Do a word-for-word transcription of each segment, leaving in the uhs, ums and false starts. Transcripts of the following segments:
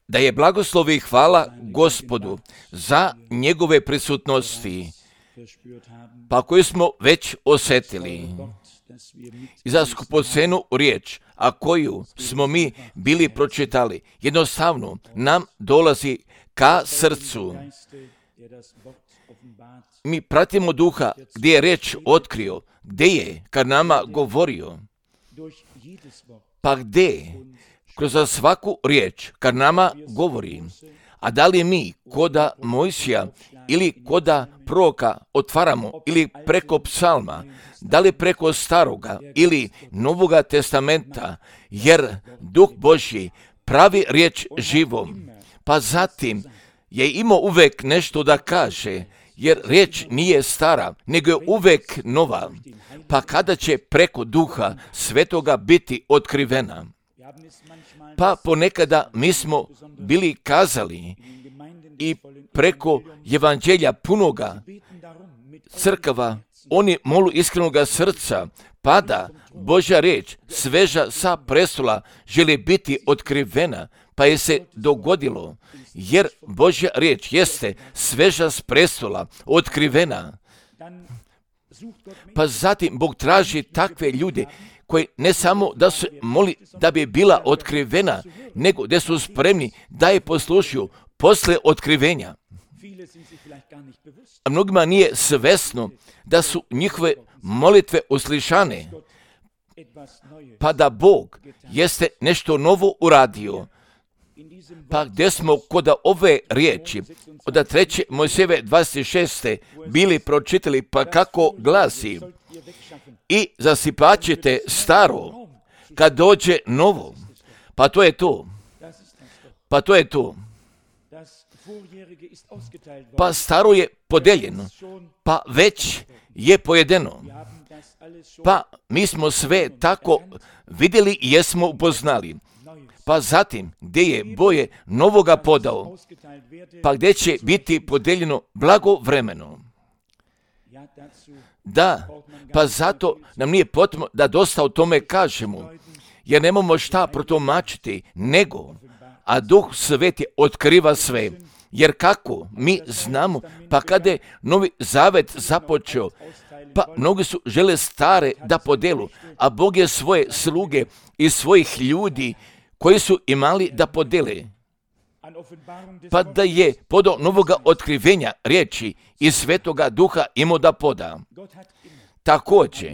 Da je blagoslov i hvala Gospodu za njegove prisutnosti, pa koju smo već osjetili, i za skupocenu riječ, a koju smo mi bili pročitali, jednostavno nam dolazi ka srcu. Mi pratimo Duha gdje je riječ otkrio, gdje je kad nama govorio, pa gdje kroz svaku riječ kad nama govori. A da li mi koda Mojsija ili koda proroka otvaramo ili preko psalma, da li preko staroga ili novoga testamenta, jer Duh Božji pravi riječ živom, pa zatim je imao uvek nešto da kaže, jer riječ nije stara, nego je uvek nova, pa kada će preko Duha Svetoga biti otkrivena. Pa ponekada mi smo bili kazali i preko evanđelja punoga crkava, oni molu iskrenoga srca, pa da Božja riječ sveža sa prestola želi biti otkrivena, pa je se dogodilo, jer Božja riječ jeste sveža s prestola otkrivena. Pa zatim Bog traži takve ljude koji ne samo da se moli da bi bila otkrivena, nego da su spremni da je poslušaju posle otkrivenja. A mnogima nije svesno da su njihove molitve uslišane, pa da Bog jeste nešto novo uradio. Pa gdje smo kod ove riječi od treće Mojsijeve dvadeset šeste bili pročitali, pa kako glasi: i zasipat ćete staro kad dođe novo. Pa to je to. Pa to je to. Pa staro je podeljeno, pa već je pojedeno. Pa mi smo sve tako vidjeli i jesmo upoznali. Pa zatim, gdje je boje novoga podao, pa gdje će biti podeljeno blagovremeno. Da, pa zato nam nije potrebno da dosta o tome kažemo, jer nemamo šta protumačiti, nego, a Duh Sveti otkriva sve. Jer kako mi znamo, pa kada je Novi Zavet započeo, pa mnogi su žele stare da podelu, a Bog je svoje sluge i svojih ljudi koji su imali da podele, pa da je podao novoga otkrivenja riječi i Svetoga Duha imao da poda. Također,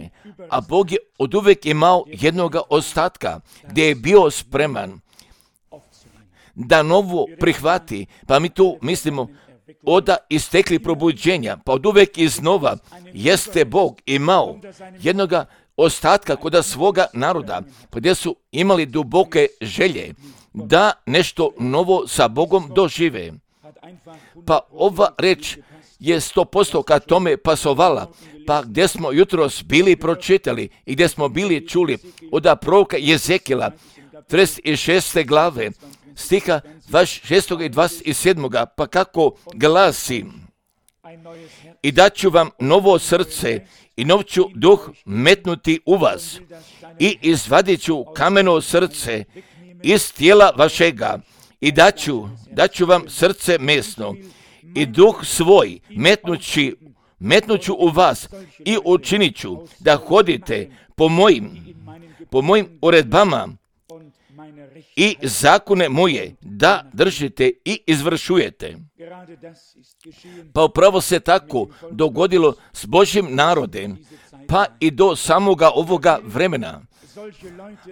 a Bog je od uvijek imao jednoga ostatka gdje je bio spreman da novo prihvati, pa mi tu mislimo oda istekli probuđenja, pa od uvijek iznova jeste Bog imao jednoga ostatka kod svoga naroda, pa gdje su imali duboke želje da nešto novo sa Bogom dožive. Pa ova reč je sto posto kad tome pasovala, pa gdje smo jutros bili pročitali i gdje smo bili čuli od proroka Jezekila, trideset šeste glave, stiha dvadeset šestog i dvadeset sedmog, pa kako glasi: i daću vam novo srce i nov ću duh metnuti u vas i izvadit ću kameno srce iz tijela vašega i daću, daću vam srce mesno i duh svoj metnući, metnuću u vas i učinit ću da hodite po mojim, po mojim uredbama i zakone moje da držite i izvršujete. Pa upravo se tako dogodilo s Božjim narodem, pa i do samoga ovoga vremena.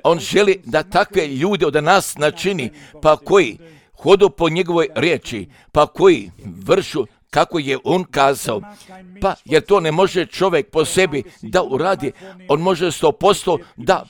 On želi da takve ljude od nas načini, pa koji hodu po njegovoj riječi, pa koji vršu kako je on kazao, pa jer to ne može čovjek po sebi da uradi, on može sto posto da,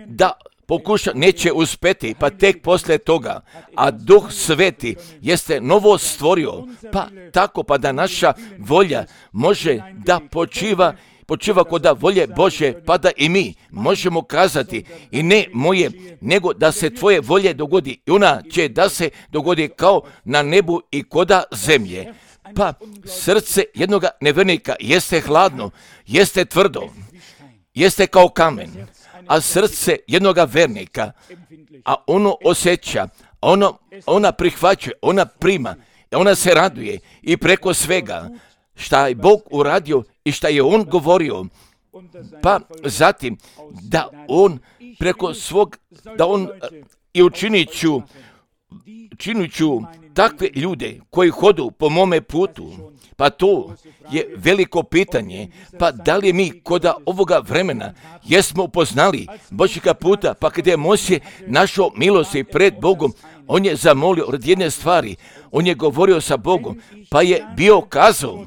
da pokuša, neće uspjeti, pa tek poslije toga, a Duh Sveti jeste novo stvorio, pa tako pa da naša volja može da počiva, počiva kod volje Bože, pa da i mi možemo kazati i ne moje, nego da se tvoje volje dogodi i ona će da se dogodi kao na nebu i koda zemlje. Pa srce jednoga nevjernika jeste hladno, jeste tvrdo, jeste kao kamen, a srce jednoga vernika, a ono osjeća, ono, ona prihvaćuje, ona prima, ona se raduje i preko svega šta je Bog uradio i šta je On govorio, pa zatim da On preko svog, da On i učinit ću, činit ću takve ljude koji hodu po mome putu. Pa to je veliko pitanje, pa da li mi kod ovoga vremena jesmo upoznali Božjega puta, pa kada je Mojsije našao milosti pred Bogom, on je zamolio od jedne stvari, on je govorio sa Bogom, pa je bio kazao,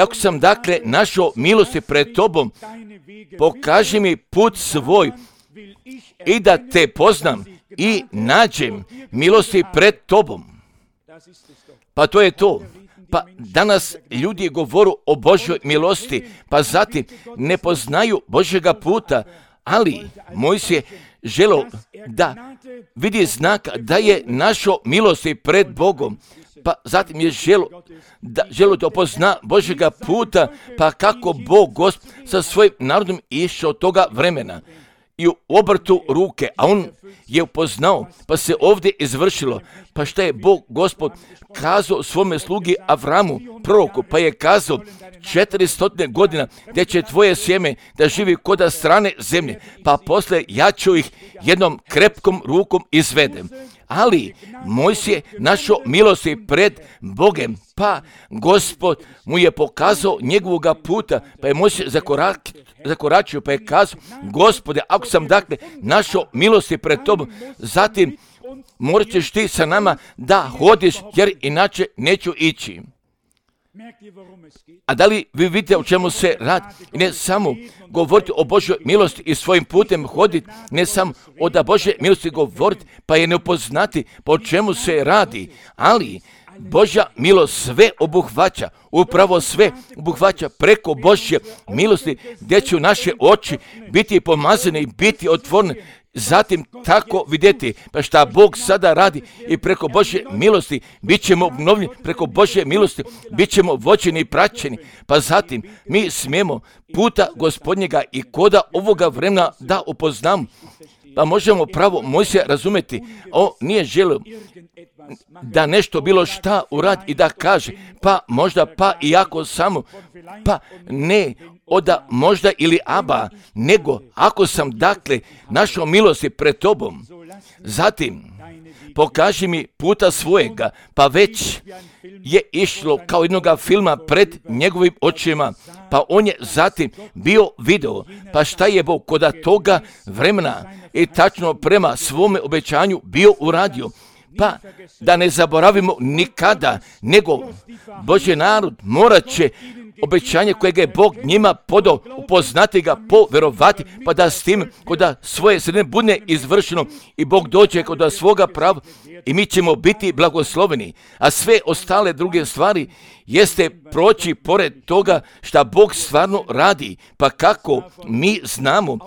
ako sam dakle našao milosti pred tobom, pokaži mi put svoj i da te poznam i nađem milosti pred tobom. Pa to je to. Pa danas ljudi govoru o Božjoj milosti, pa zatim ne poznaju Božjega puta, ali Mojsije želio da vidi znak da je našao milosti pred Bogom, pa zatim je želio da, želio da opozna Božjega puta, pa kako Bog Gospod sa svojim narodom išao toga vremena i u obrtu ruke, a on je upoznao, pa se ovdje izvršilo. Pa šta je Bog Gospod kazao svome slugi Avramu, proroku, pa je kazao četiristo godina gdje će tvoje sjeme da živi koda strane zemlje, pa posle ja ću ih jednom krepkom rukom izvedem. Ali Mojsije našao milosti pred Bogem, pa Gospod mu je pokazao njegovoga puta, pa je Mojsije zakorak, zakoračio, pa je kazao, Gospode, ako sam dakle našao milosti pred tobom, zatim morat ćeš ti sa nama da hodiš, jer inače neću ići. A da li vi vidite o čemu se radi? Ne samo govoriti o Božjoj milosti i svojim putem hoditi, ne samo o da Božje milosti govoriti, pa je ne upoznati po čemu se radi, ali Božja milost sve obuhvaća, upravo sve obuhvaća preko Božje milosti, gdje će naše oči biti pomazane i biti otvorene. Zatim tako vidjeti, pa šta Bog sada radi i preko Božje milosti bit ćemo obnovljeni, preko Božje milosti bit ćemo vođeni i praćeni, pa zatim mi smijemo puta Gospodnjega i koda ovoga vremena da upoznamo, pa možemo pravo Mojsija razumjeti, on nije želio da nešto bilo šta uradi i da kaže, pa možda pa i ako samo, pa ne oda možda ili aba, nego ako sam dakle našao milosti pred tobom, zatim pokaži mi puta svojega, pa već je išlo kao jednoga filma pred njegovim očima, pa on je zatim bio video, pa šta je Bog koda toga vremena i tačno prema svome obećanju bio uradio. Pa da ne zaboravimo nikada, nego Božji narod morat će obećanje kojeg je Bog njima podao, upoznati ga, poverovati, pa da s tim koda svoje sredine bude izvršeno i Bog dođe koda svoga prava i mi ćemo biti blagosloveni. A sve ostale druge stvari jeste proći pored toga šta Bog stvarno radi, pa kako mi znamo,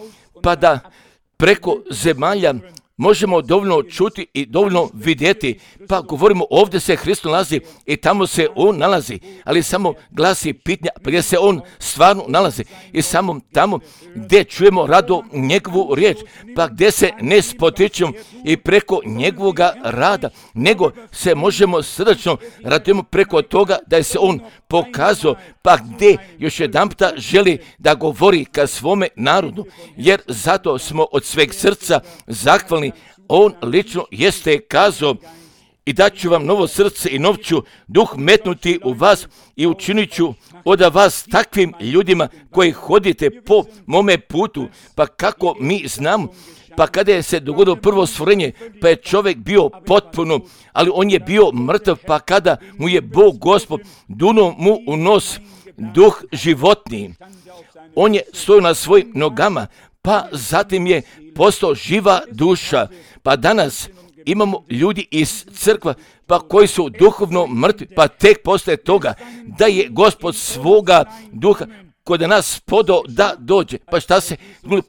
pa da preko zemalja možemo dovoljno čuti i dovoljno vidjeti, pa govorimo ovdje se Hristos nalazi i tamo se On nalazi, ali samo glasi pitanja gdje se On stvarno nalazi i samo tamo gdje čujemo rado njegovu riječ, pa gdje se ne spotičemo i preko njegovoga rada, nego se možemo srdačno radimo preko toga da je se On pokazao, pa gdje još jedanputa želi da govori ka svome narodu, jer zato smo od sveg srca zahvalni. On lično jeste kazao i daću vam novo srce i nov ću duh metnuti u vas i učinit ću od vas takvim ljudima koji hodite po mome putu. Pa kako mi znamo, pa kada je se dogodilo prvo stvorenje, pa je čovjek bio potpuno, ali on je bio mrtav, pa kada mu je Bog Gospod dunuo mu u nos duh životni, on je stojao na svojim nogama, pa zatim je postao živa duša. Pa danas imamo ljudi iz crkva pa koji su duhovno mrtvi, pa tek poslije toga da je Gospod svoga duha kod nas podao da dođe. Pa šta se,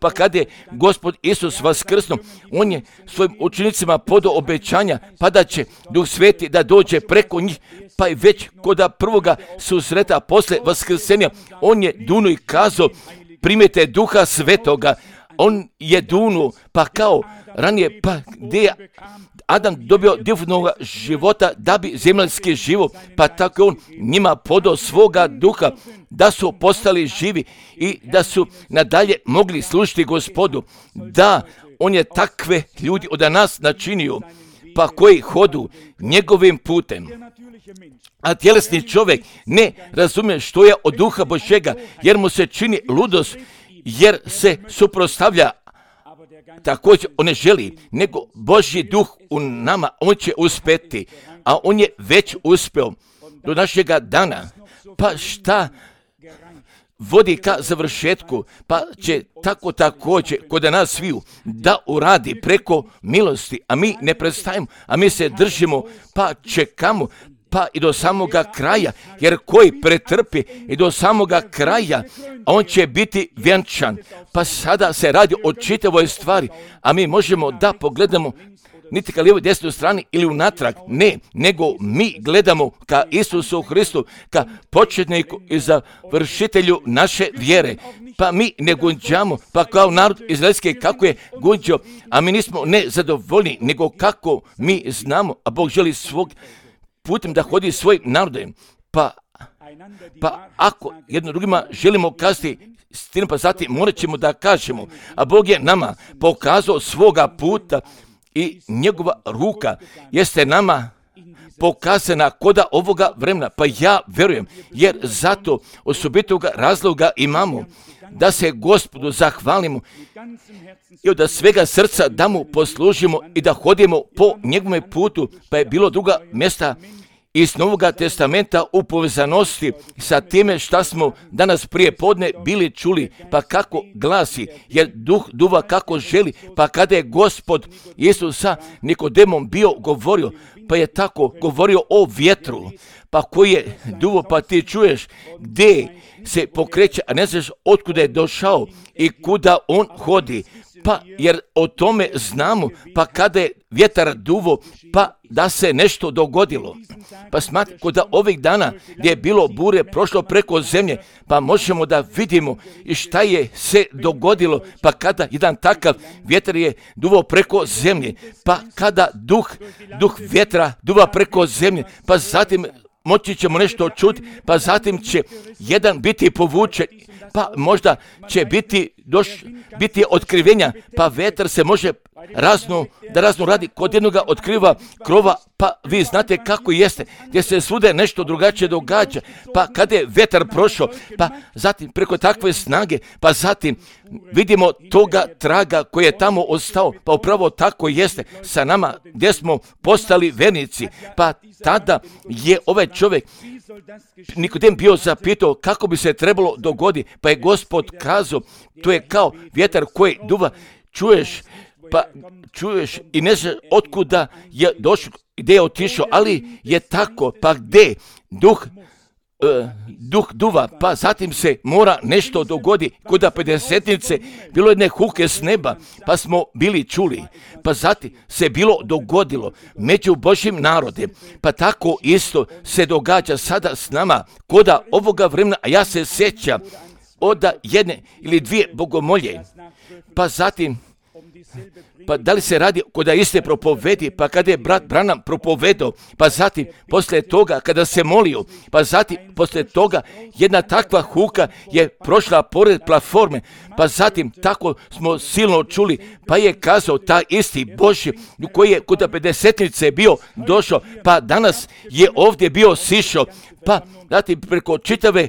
pa kad je Gospod Isus vaskrsnuo, on je svojim učenicima podao obećanja, pa da će Duh Sveti da dođe preko njih, pa i već kod prvoga susreta posle vaskrsenja, on je duno i kazao, primite Duha Svetoga, on je dunuo, pa kao ranije, pa gdje je Adam dobio divnog života da bi zemaljski život, pa tako on njima podao svoga duha da su postali živi i da su nadalje mogli služiti Gospodu. Da, on je takve ljudi od nas načinio, pa koji hodu njegovim putem. A tjelesni čovjek ne razumije što je od duha Božjega, jer mu se čini ludost, jer se suprotstavlja. Također on ne želi, nego Božji duh u nama, on će uspjeti, a on je već uspio do našega dana. Pa šta vodi ka završetku, pa će tako također kod nas sviju da uradi preko milosti, a mi ne prestajemo, a mi se držimo, pa čekamo, pa i do samoga kraja, jer koji pretrpi i do samoga kraja, on će biti vjenčan. Pa sada se radi o čitavoj stvari, a mi možemo da pogledamo niti ka lijevoj desnoj strani ili unatrag, ne, nego mi gledamo ka Isusu Hristu, ka početniku i završitelju naše vjere. Pa mi ne gunđamo, pa kao narod izraelski kako je gunđao, a mi nismo ne zadovoljni, nego kako mi znamo, a Bog želi svog putem da hodi svojim narodom. Pa, pa ako jedno drugima želimo kazati istinu, pa zatim morat ćemo da kažemo, a Bog je nama pokazao svoga puta i njegova ruka jeste nama pokazana koda ovoga vremena. Pa ja verujem, jer zato osobitoga razloga imamo da se Gospodu zahvalimo i od svega srca da mu poslužimo i da hodimo po njegovom putu. Pa je bilo druga mjesta iz Novoga testamenta u povezanosti sa time šta smo danas prije podne bili čuli, pa kako glasi, jer duh duva kako želi, pa kada je Gospod Isus sa Nikodemom bio govorio, pa je tako govorio o vjetru, pa koji je duvo, pa ti čuješ gdje se pokreće, a ne znaš otkuda je došao i kuda on hodi. Pa jer o tome znamo, pa kada je vjetar duvo, pa da se nešto dogodilo. Pa smatram kod da ovih dana gdje je bilo bure prošlo preko zemlje, pa možemo da vidimo i šta je se dogodilo, pa kada jedan takav vjetar je duvao preko zemlje, pa kada duh, duh vjetra duva preko zemlje, pa zatim moći ćemo nešto čuti, pa zatim će jedan biti povučen, pa možda će biti, doš, biti otkrivenja, pa vetar se može razno, da razno radi, kod jednoga otkriva krova, pa vi znate kako jeste, gdje se svude nešto drugačije događa, pa kada je vetar prošao, pa zatim preko takve snage, pa zatim vidimo toga traga koji je tamo ostao, pa upravo tako jeste sa nama gdje smo postali vernici, pa tada je ovaj čovjek Nikodem bio zapitao kako bi se trebalo dogoditi, pa je Gospod kazao, to je kao vjetar koji duva, čuješ, pa čuješ i ne znaš otkuda je došao, gdje je otišao, ali je tako, pa gdje duh, uh, duh duva, pa zatim se mora nešto dogodi, kuda pedesetnice, bilo jedne huke s neba, pa smo bili čuli, pa zatim se bilo dogodilo među Božjim narodem, pa tako isto se događa sada s nama, koda ovoga vremena, a ja se sjećam od jedne ili dvije bogomolje, pa zatim pa da li se radi kod iste propovedi, pa kada je brat Branham propovedao, pa zatim poslije toga kada se molio, pa zatim poslije toga jedna takva huka je prošla pored platforme, pa zatim tako smo silno čuli, pa je kazao taj isti Božji koji je kod pedesetnice bio došao, pa danas je ovdje bio sišao, pa zatim preko čitave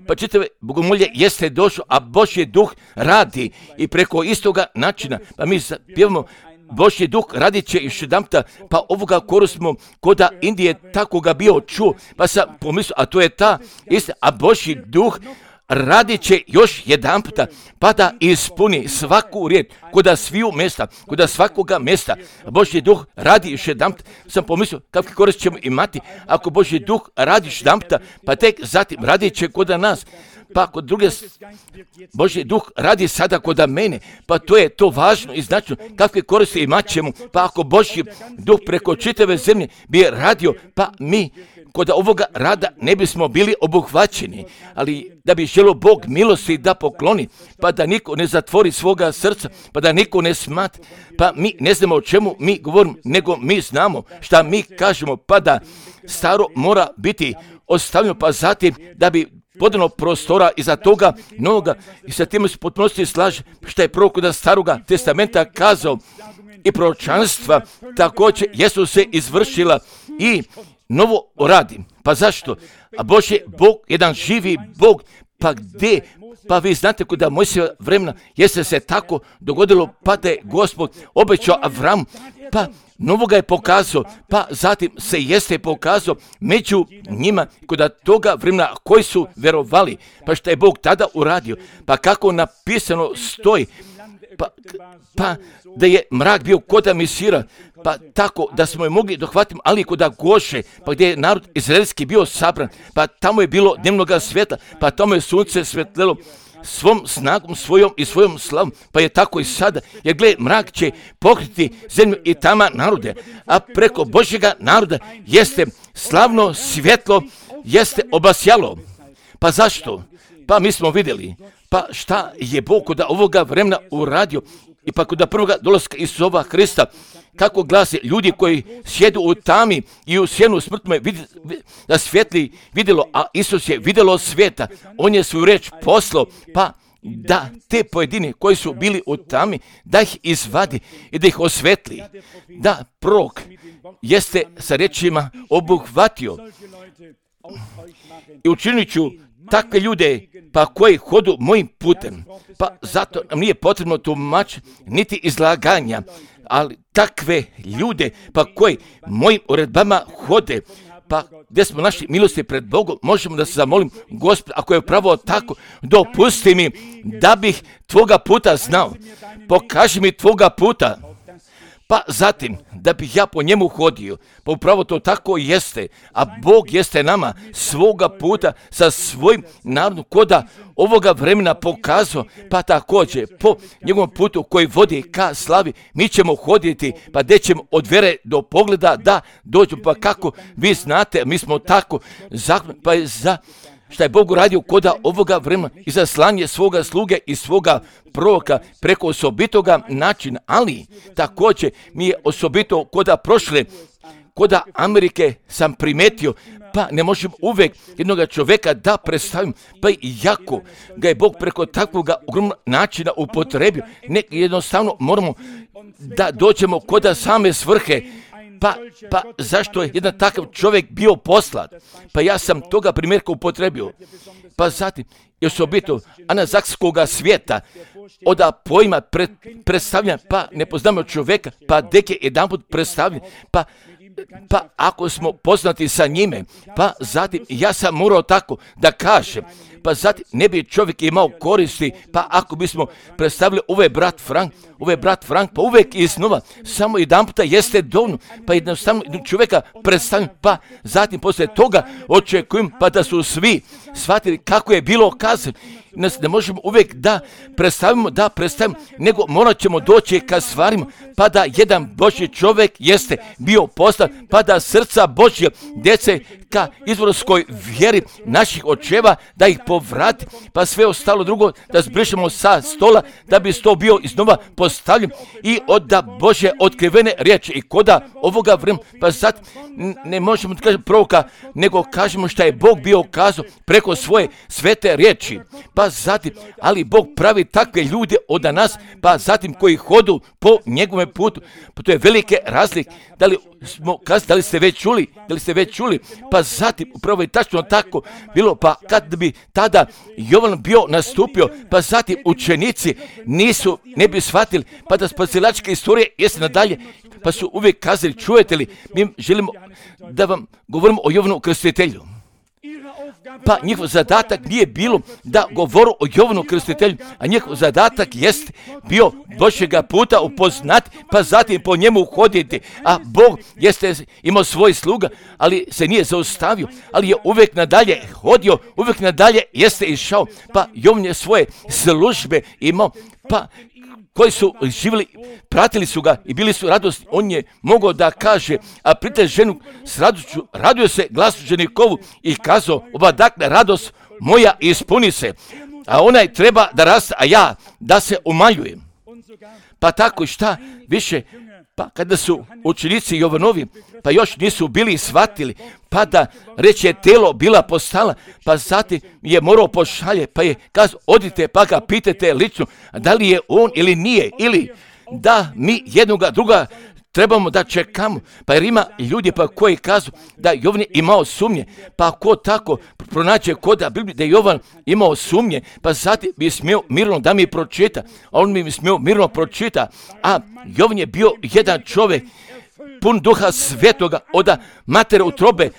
pa čitave bogomolje jeste došao, a Božji duh radi i preko istoga načina, pa mi pjevamo Božji duh radit će još jedanputa, pa ovoga koru smo koda Indije tako ga bio čuo, pa sam pomislio, a to je ta istina, a Božji duh radit će još jedan puta, pa da ispuni svaku riječ, koda sviju mjesta, koda svakoga mjesta. Božji duh radi još jedan puta, sam pomislio kakve korist ćemo imati, ako Božji duh radi još jedan puta, pa tek zatim radit će koda nas. Pa kod druge, Božji duh radi sada koda mene, pa to je to važno i značajno, kakve koristi imat ćemo, pa ako Božji duh preko čitave zemlje bi radio, pa mi kod ovoga rada ne bismo bili obuhvaćeni, ali da bi želio Bog milosti da pokloni, pa da niko ne zatvori svoga srca, pa da niko ne smatra, pa mi ne znamo o čemu mi govorimo, nego mi znamo šta mi kažemo, pa da staro mora biti ostavljeno, pa zatim da bi podano prostora iza toga novoga, i sa tim se potpunosti slaže što je prorok od staroga testamenta kazao, i proročanstva također jesu se izvršila i novo radi. Pa zašto? A Bože, Bog, jedan živi Bog, pa gdje? Pa vi znate kuda Mojsijeva vremena jeste se tako dogodilo, pa da je Gospod obećao Avramu, pa novoga je pokazao, pa zatim se jeste pokazao među njima kod toga vremena koji su vjerovali, pa što je Bog tada uradio, pa kako napisano stoji, pa, pa da je mrak bio koda Misira, pa tako da smo je mogli dohvatiti, ali koda Goše, pa gdje je narod izraelski bio sabran, pa tamo je bilo dnevnoga svjetla, pa tamo je sunce svetlelo svom snagom svojom i svojom slavom, pa je tako i sada, jer gle, mrak će pokriti zemlju i tama narode, a preko Božjega naroda jeste slavno svjetlo, jeste obasjalo. Pa zašto? Pa mi smo vidjeli, pa šta je Bog kod ovoga vremena uradio, i pa kod prvoga dolaska Isusa Hrista, kako glasi ljudi koji sjedu u tami i u sjenu smrtme da svjetli vidjelo, a Isus je vidjelo svijeta, on je svoju reč poslao, pa da te pojedine koji su bili u tami, da ih izvadi i da ih osvetli, da prorok jeste sa rečima obuhvatio i učinit ću takve ljude pa koji hodu mojim putem, pa zato nam nije potrebno tumač niti izlaganja, ali takve ljude pa koji mojim uredbama hode, pa gdje smo naši milosti pred Bogom, možemo da se zamolim, Gospod, ako je pravo tako, dopusti mi da bih tvoga puta znao, pokaži mi tvoga puta, pa zatim da bih ja po njemu hodio, pa upravo to tako jeste, a Bog jeste nama svoga puta sa svojim narodom koda ovoga vremena pokazao, pa također po njegovom putu koji vodi ka slavi, mi ćemo hoditi, pa gdje ćemo od vjere do pogleda da dođu, pa kako vi znate, mi smo tako zakon, pa je za šta je Bog uradio koda ovoga vremena i za slanje svoga sluge i svoga proroka preko osobitoga načina, ali također mi je osobito koda prošle, koda Amerike sam primetio, pa ne možemo uvijek jednoga čovjeka da predstavim, pa i jako ga je Bog preko takvog ogromnog načina upotrebio, ne, jednostavno moramo da dođemo koda same svrhe. Pa, pa zašto je jedan takav čovjek bio poslat? Pa ja sam toga primjerka upotrebio. Pa zatim, i osobito anazakskoga svijeta, oda pojma pred, predstavlja, pa ne poznamo čovjeka, pa dek je jedan put predstavljen, pa pa ako smo poznati sa njime, pa zatim ja sam morao tako da kažem, pa zatim ne bi čovjek imao koristi, pa ako bismo predstavili ovaj brat Frank, ovaj brat Frank, pa uvijek iznova, samo jedan puta jeste dovoljno, pa jednostavno čovjeka predstavim, pa zatim poslije toga očekujem, pa da su svi shvatili kako je bilo kazano. Nas ne možemo uvijek da predstavimo, da predstavimo, nego morat ćemo doći ka stvarima, pa da jedan Božji čovjek jeste bio poslan, pa da srca Božje djece ka izvorskoj vjeri naših očeva, da ih povrati, pa sve ostalo drugo da zbrišemo sa stola, da bi sto bio iznova postavljen i od da Božje otkrivene riječi i koda ovoga vremena, pa sad ne možemo da kažemo proroka, nego kažemo šta je Bog bio kazao preko svoje svete riječi, pa zatim, ali Bog pravi takve ljude od nas, pa zatim koji hodu po njegovom putu, pa to je velike razlike, da li smo kazali, da li ste već čuli, da li ste već čuli, pa zatim upravo je tačno tako bilo, pa kad bi tada Jovan bio nastupio, pa zatim učenici nisu, ne bi shvatili, pa da spasilačke istorije jeste nadalje, pa su uvijek kazali, čujete li, mi želimo da vam govorimo o Jovanu Krstitelju. Pa njihov zadatak nije bilo da govoru o Jovanu Krstitelju, a njihov zadatak jest bio Božjega puta upoznati, pa zatim po njemu hoditi. A Bog jeste imao svoj sluga, ali se nije zaustavio, ali je uvijek nadalje hodio, uvijek nadalje jeste išao, pa Jovan je svoje službe imao, pa koji su živjeli, pratili su ga i bili su radosni, on je mogao da kaže, a prite ženu s radošću, radio se glasu ženikovu i kazao, ova dakle radost moja ispuni se, a onaj treba da raste, a ja da se umanjujem. Pa tako i šta više, pa kada su učenici Jovanovi, pa još nisu bili shvatili, pa da reći je telo bila postala, pa zatim je morao pošalje, pa je kazao, odite pa ga pitajte lično, da li je on ili nije, ili da mi jednoga druga trebamo da čekamo, pa jer ima ljudi pa koji kažu da Jovan je imao sumnje, pa ko tako pronađe koda Biblije da je Jovan imao sumnje, pa zatim bi smio mirno da mi pročita, a on mi smio mirno pročita, a Jovan je bio jedan čovjek pun duha svetoga od matere utrobe,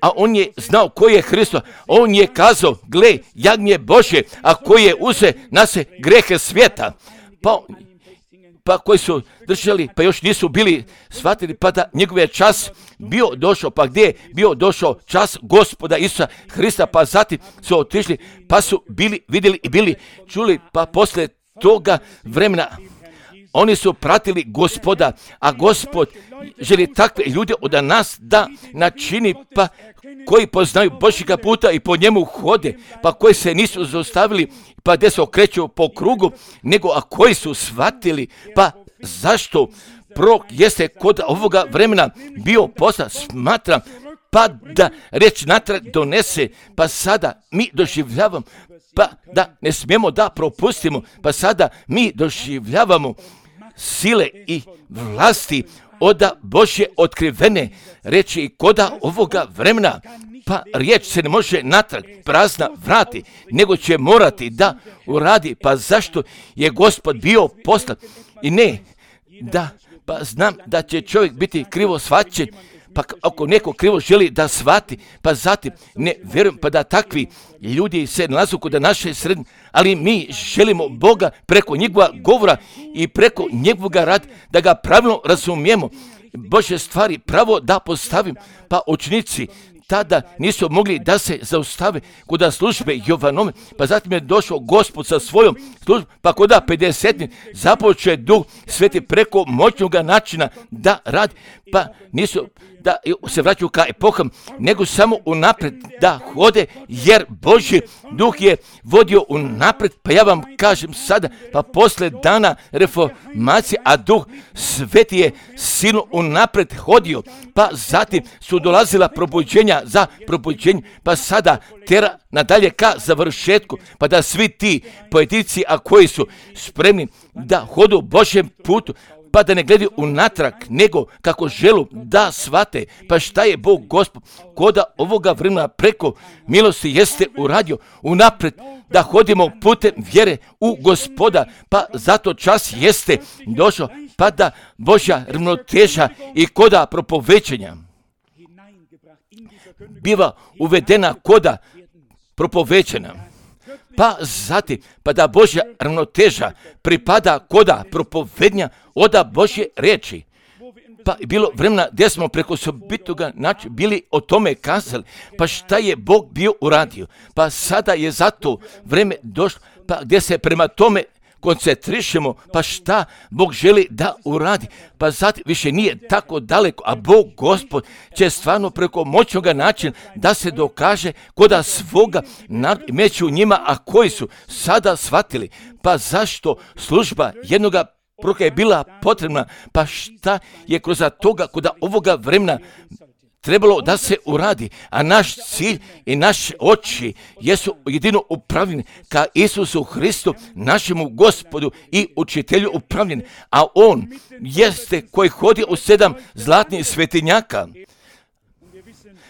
a on je znao koji je Hristos, on je kazao, gle, jagnje Božje, a koji je uze na se grehe svijeta, pa pa koji su držali, pa još nisu bili shvatili, pa da njegov je čas bio došao, pa gdje je bio došao čas Gospoda Isusa Hrista, pa zatim su otišli, pa su bili, vidjeli i bili čuli, pa posle toga vremena oni su pratili Gospoda, a Gospod želi takve ljude od nas da načini, pa koji poznaju Božjega puta i po njemu hode, pa koji se nisu zaustavili, pa gdje se okreću po krugu, nego a koji su shvatili, pa zašto prorok jeste kod ovoga vremena bio poslan, smatram, pa da reč natrag donese, pa sada mi doživljavamo, pa da ne smijemo da propustimo, pa sada mi doživljavamo sile i vlasti oda Božje otkrivene reči i koda ovoga vremena, pa riječ se ne može natrag prazna vrati, nego će morati da uradi, pa zašto je Gospod bio poslan i ne da, pa znam da će čovjek biti krivo shvaćen, pa ako neko krivo želi da shvati, pa zatim ne vjerujem pa da takvi ljudi se nalazu kod naše sredine, ali mi želimo Boga preko njegova govora i preko njegovoga rada da ga pravilno razumijemo, Božje stvari pravo da postavim, pa učenici tada nisu mogli da se zaustave kod službe Jovanove, pa zatim je došao Gospod sa svojom službom, pa kod pedesetine započeo je Duh Sveti preko moćnog načina da radi, pa nisu da se vraćaju ka epoham, nego samo unapred da hode, jer Božji Duh je vodio unapred, pa ja vam kažem sada, pa posle dana reformacije, a Duh Sveti je silno unapred hodio, pa zatim su dolazila probuđenja za probuđenje, pa sada tera nadalje ka završetku, pa da svi ti pojedinci, a koji su spremni da hodu Božjem putu, pa da ne gledaju unatrag, nego kako želu da shvate, pa šta je Bog Gospod koda ovoga vremena preko milosti jeste uradio unapred, da hodimo putem vjere u Gospoda, pa zato čas jeste došao, pa da Božja ravnoteža i koda propovećenja biva uvedena koda propovećena. Pa zatim, pa da Božja ravnoteža pripada koda propovednja oda Božje riječi. Pa bilo vremena gdje smo preko osobitoga načina bili o tome kazali, pa šta je Bog bio uradio. Pa sada je zato vreme došlo, pa gdje se prema tome koncentrišemo, pa šta Bog želi da uradi, pa zatim više nije tako daleko, a Bog Gospod će stvarno preko moćnog načina da se dokaže koda svoga među njima, a koji su sada shvatili, pa zašto služba jednoga proroka je bila potrebna, pa šta je kroz toga koda ovoga vremena trebalo da se uradi, a naš cilj i naše oči jesu jedino upravljeni ka Isusu Hristu, našemu Gospodu i učitelju upravljeni, a on jeste koji hodi u sedam zlatnih svetinjaka.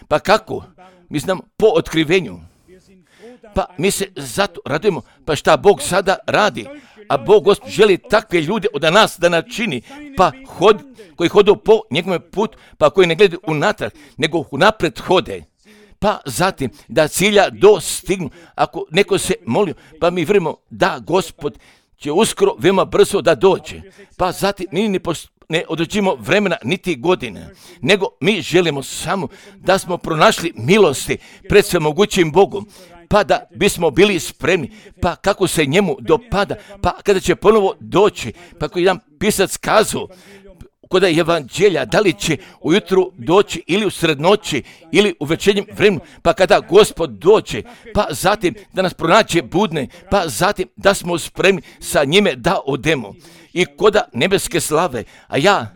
Pa kako? Mi znamo po otkrivenju. Pa mi se zato radujemo, pa šta Bog sada radi, a Bog Gospod želi takve ljude od nas da načini, pa hod, koji hodu po njegovom putu, pa koji ne gledaju unatrag, nego unapred hode. Pa zatim da cilja dostignu, ako neko se molio, pa mi vjerujemo da Gospod će uskoro veoma brzo da dođe. Pa zatim mi ne, post- ne određimo vremena niti godine, nego mi želimo samo da smo pronašli milosti pred svemogućim Bogom. pa da bismo bili spremni, pa kako se njemu dopada, pa kada će ponovo doći, pa koji jedan pisac kazao, kod evanđelja, da li će ujutru doći ili u srednoći ili u večernjem vremenu, pa kada Gospod dođe, pa zatim da nas pronađe budne, pa zatim da smo spremni sa njime da odemo. I koda nebeske slave, a ja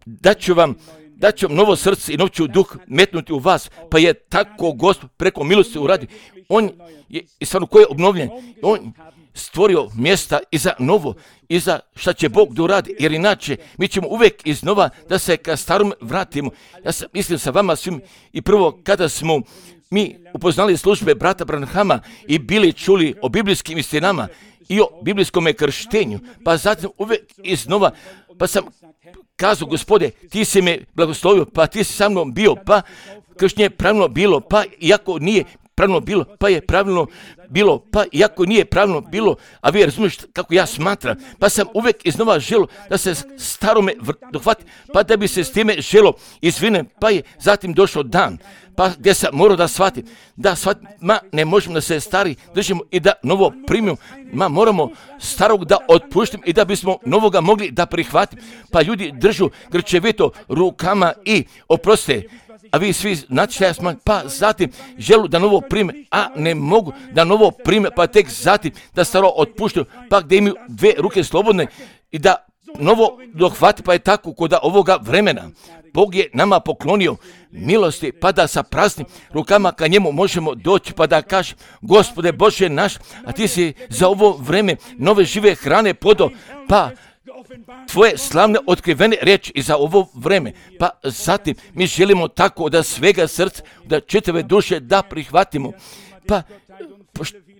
daću vam daću vam novo srce i noću duh metnuti u vas, pa je tako Gospod preko milosti uradio. On je, i stvarno ko je obnovljen, on stvorio mjesta i za novo, i za šta će Bog da uradi, jer inače mi ćemo uvijek iznova da se ka starom vratimo. Ja sam mislim sa vama svim i prvo kada smo mi upoznali službe brata Branhama i bili čuli o biblijskim istinama i o biblijskom krštenju, pa zatim uvijek iznova, pa sam kazao, Gospode, ti si me blagoslovio, pa ti si sa mnom bio, pa krštenje je pravilno bilo, pa iako nije pravilno bilo, pa je pravilno bilo, pa iako nije pravilno bilo, a vi razumiješ kako ja smatram, pa sam uvijek iznova želo da se starome dohvati, pa da bi se s time želo izvinem, pa je zatim došao dan, pa gdje sam morao da shvatim, da shvatim, ma ne možemo da se stari držimo i da novo primimo, ma moramo starog da otpuštimo i da bismo novoga mogli da prihvatimo, pa ljudi držu grčevito rukama i oproste, a vi svi znate šta ja smatram, pa zatim želu da novo prime, a ne mogu da novo prime, pa tek zatim da staro otpuštaju, pa gdje imaju dve ruke slobodne i da novo dohvati, pa je tako kod ovoga vremena. Bog je nama poklonio milosti, pa da sa praznim rukama ka njemu možemo doći, pa da kažem, Gospode Bože naš, a ti si za ovo vreme nove žive hrane podo, pa tvoje slavne otkrivene riječi i za ovo vreme, pa zatim mi želimo tako da svega srca, da čitave duše da prihvatimo, pa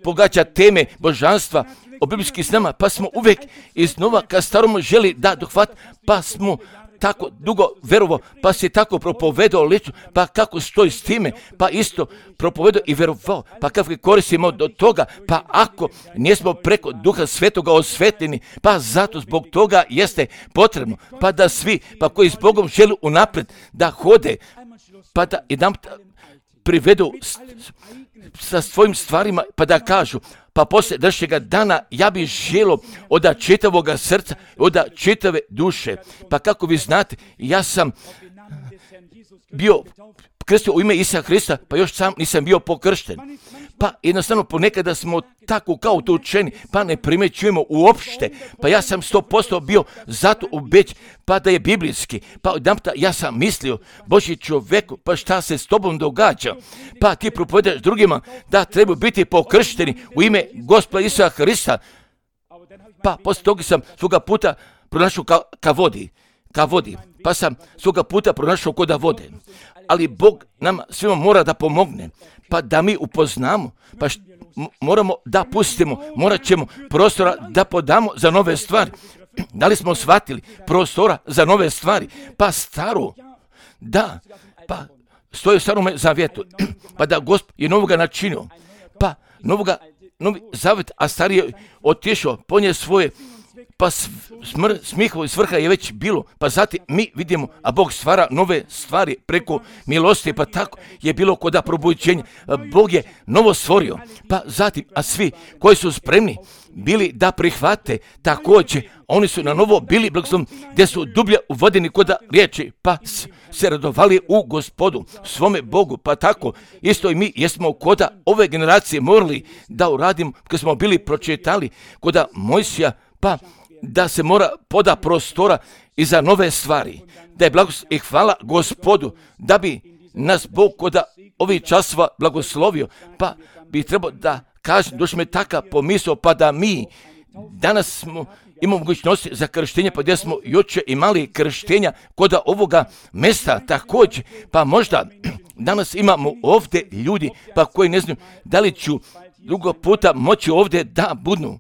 pogađa teme božanstva o biblijskim snama, pa smo uvijek iznova ka starom želi da dohvat, pa smo tako dugo verovo, pa si tako propovedao liču, pa kako stoji s time, pa isto propovedao i verovao, pa kako koristimo do toga, pa ako nismo preko Duha Svetoga osvetljeni, pa zato zbog toga jeste potrebno, pa da svi, pa koji s Bogom žele unaprijed da hode, pa da jedan privedu sa svojim stvarima, pa da kažu, pa poslije današnjega dana ja bih želio od čitavoga srca, od čitave duše. Pa kako vi znate, ja sam bio krstio u ime Isusa Hrista, pa još sam nisam bio pokršten. Pa jednostavno ponekada smo tako kao to učeni, pa ne primećujemo uopšte. Pa ja sam sto posto bio zato ubeć, pa da je biblijski. Pa odjedanput ja sam mislio, Božji čovjeku, pa šta se s tobom događa? Pa ti propovedaš drugima da trebaju biti pokršteni u ime Gospoda Isusa Hrista. Pa poslije toga sam svoga puta pronašao ka, ka vodi, ka vodi. Pa sam svoga puta pronašao koda vode. Ali Bog nam svima mora da pomogne, pa da mi upoznamo, pa št, moramo da pustimo, morat ćemo prostora da podamo za nove stvari. Da li smo shvatili prostora za nove stvari? Pa staro, da, pa stoji u starom zavjetu, pa da Gospod je novoga načinio, pa novoga, novi zavjet, a stari je otišao, ponije svoje, pa smr, smihovo i svrha je već bilo, pa zatim mi vidimo, a Bog stvara nove stvari preko milosti, pa tako je bilo kod probuđenja. Bog je novo stvorio, pa zatim, a svi koji su spremni bili da prihvate također, oni su na novo bili blagoslovni, gdje su dublje uvodeni kod riječi, pa se radovali u Gospodu, svome Bogu, pa tako isto i mi jesmo kod ove generacije morali da uradimo, kad smo bili pročitali kod Mojsija, pa da se mora poda prostora i za nove stvari, da je blagoslov i hvala Gospodu, da bi nas Bog kod ovih časova blagoslovio, pa bi trebao da kažem, došli me taka pomisao, pa da mi danas smo imamo mogućnosti za krštenje, pa gdje smo jučer imali krštenja kod ovoga mjesta također, pa možda danas imamo ovdje ljudi, pa koji ne znaju da li ću drugo puta moći ovdje da budu,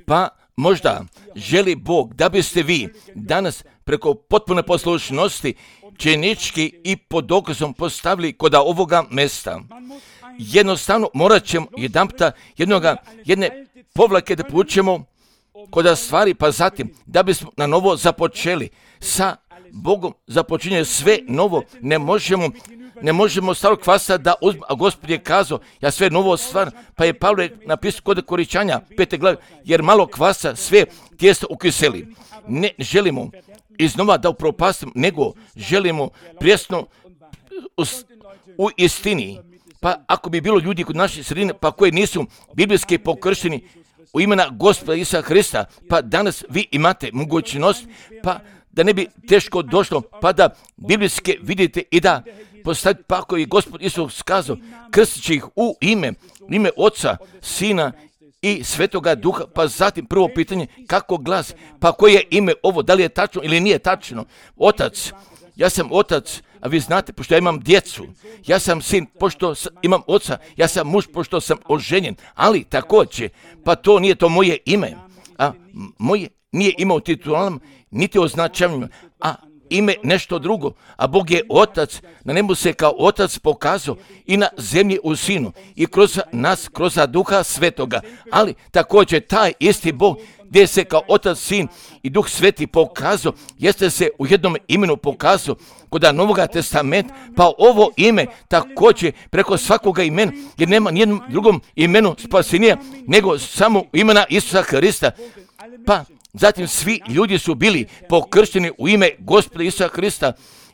pa možda želi Bog da biste vi danas preko potpune poslušnosti činički i pod dokazom postavili kod ovoga mjesta. Jednostavno morat ćemo jedanputa jednoga, jedne povlake da povučemo kod stvari, pa zatim da bismo na novo započeli sa Bogom, započinje sve novo. Ne možemo ne možemo starog kvasa da uzmemo, a Gospod je kazao, ja sve novo stvar, pa je Pavle napisao kod Koričanja, pete glave, jer malo kvasa sve tijesto ukiseli. Ne želimo iznova da upropastimo, nego želimo prijesno u, u istini. Pa ako bi bilo ljudi kod naše sredine, pa koji nisu biblijski pokršteni u imena Gospoda Isusa Hrista, pa danas vi imate mogućnost, pa da ne bi teško došlo, pa da biblijske vidite i da postavite, pa ako je Gospod Isus kazao, krstit će ih u ime, ime Oca, Sina i Svetoga Duha, pa zatim prvo pitanje, kako glasi, pa koje je ime ovo, da li je tačno ili nije tačno? Otac, ja sam otac, a vi znate, pošto ja imam djecu, ja sam sin, pošto imam oca, ja sam muž, pošto sam oženjen, ali također, pa to nije to moje ime, a moje nije ime u titulama, niti označavanjima, a ime nešto drugo, a Bog je otac, na nebu se kao otac pokazao i na zemlji u sinu i kroz nas, kroz Duha Svetoga, ali također taj isti Bog gdje se kao otac, sin i Duh Sveti pokazao, jeste se u jednom imenu pokazao kod Novoga testamenta, pa ovo ime također preko svakoga imena, jer nema nijednom drugom imenu spasenija nego samo imena Isusa Hrista, pa zatim svi ljudi su bili pokršteni u ime Gospoda Isusa Hrista.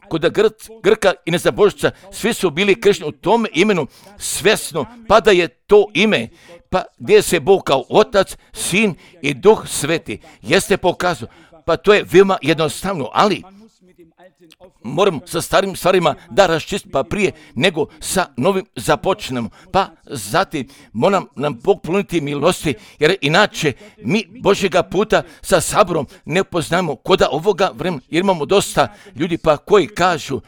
Kod Gr- Grka i nezabožca svi su bili kršteni u tom imenu svjesno, pa da je to ime, pa gdje se Bog kao otac, sin i Duh Sveti jeste pokazao. Pa to je veoma jednostavno, ali moram sa starim stvarima da raščistimo, pa prije nego sa novim započnemo. Pa zatim moram nam Bog ponuditi milosti, jer inače mi Božjega puta sa saborom ne poznamo koda ovoga vremena, jer imamo dosta ljudi pa koji kažu,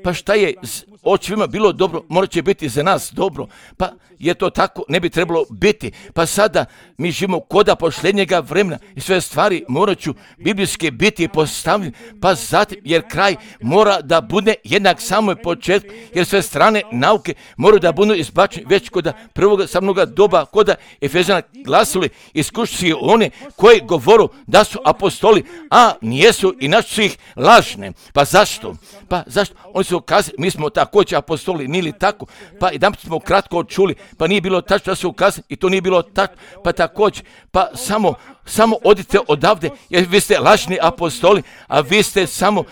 pa šta je očevima bilo dobro, morat će biti za nas dobro, pa je to tako, ne bi trebalo biti. Pa sada mi živimo koda posljednjega vremena i sve stvari morat ću biblijski biti postavljene, pa zatim, jer kraj mora da bude jednak samoj početku, jer sve strane nauke moraju da budu izbačene već koda prvog samnoga doba, koda Efezana glasili, iskušujući one koji govoru da su apostoli, a nijesu i naši su ih lažne. Pa zašto? Pa zašto? Oni su ukazali, mi smo također apostoli, nije li tako? Pa jedan smo kratko čuli, pa nije bilo tačno da su ukazali i to nije bilo tačno, pa također, pa samo, samo odite odavde, jer vi ste lažni apostoli, a vi ste samo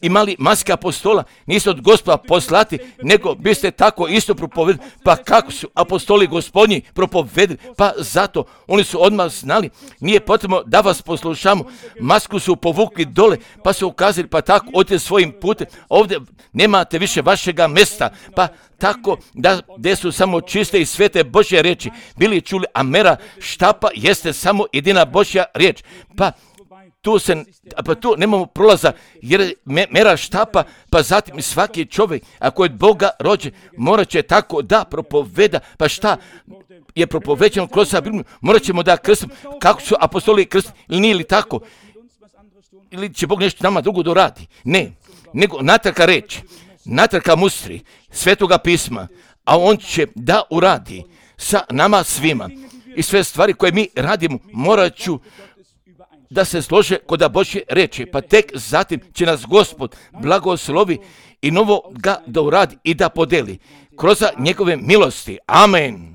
imali maske apostola, niste od Gospoda poslati, nego biste tako isto propovedali. Pa kako su apostoli Gospodnji propovedali? Pa zato oni su odmah znali, nije potrebno da vas poslušamo, masku su povukli dole, pa su ukazali, pa tako odite svojim putem, ovdje nemate više vašega mjesta, pa tako da gdje su samo čiste i svete Božje riječi bili čuli, a mera štapa jeste samo jedina Božja riječ. Pa tu se, pa tu nemamo prolaza, jer mera štapa, pa zatim svaki čovjek, ako je od Boga rođen, morat će tako da propoveda, pa šta je propoveđeno kroz Bibliju, morat ćemo da krstimo, kako su apostoli krstili, ili nije li tako, ili će Bog nešto nama drugo doradi, ne, nego natrka reći, natrka mustri, svetoga pisma, a on će da uradi sa nama svima i sve stvari koje mi radimo, morat ću da se slože kod Božje reči, pa tek zatim će nas Gospod blagoslovi i novo ga da uradi i da podeli kroz njegove milosti. Amen.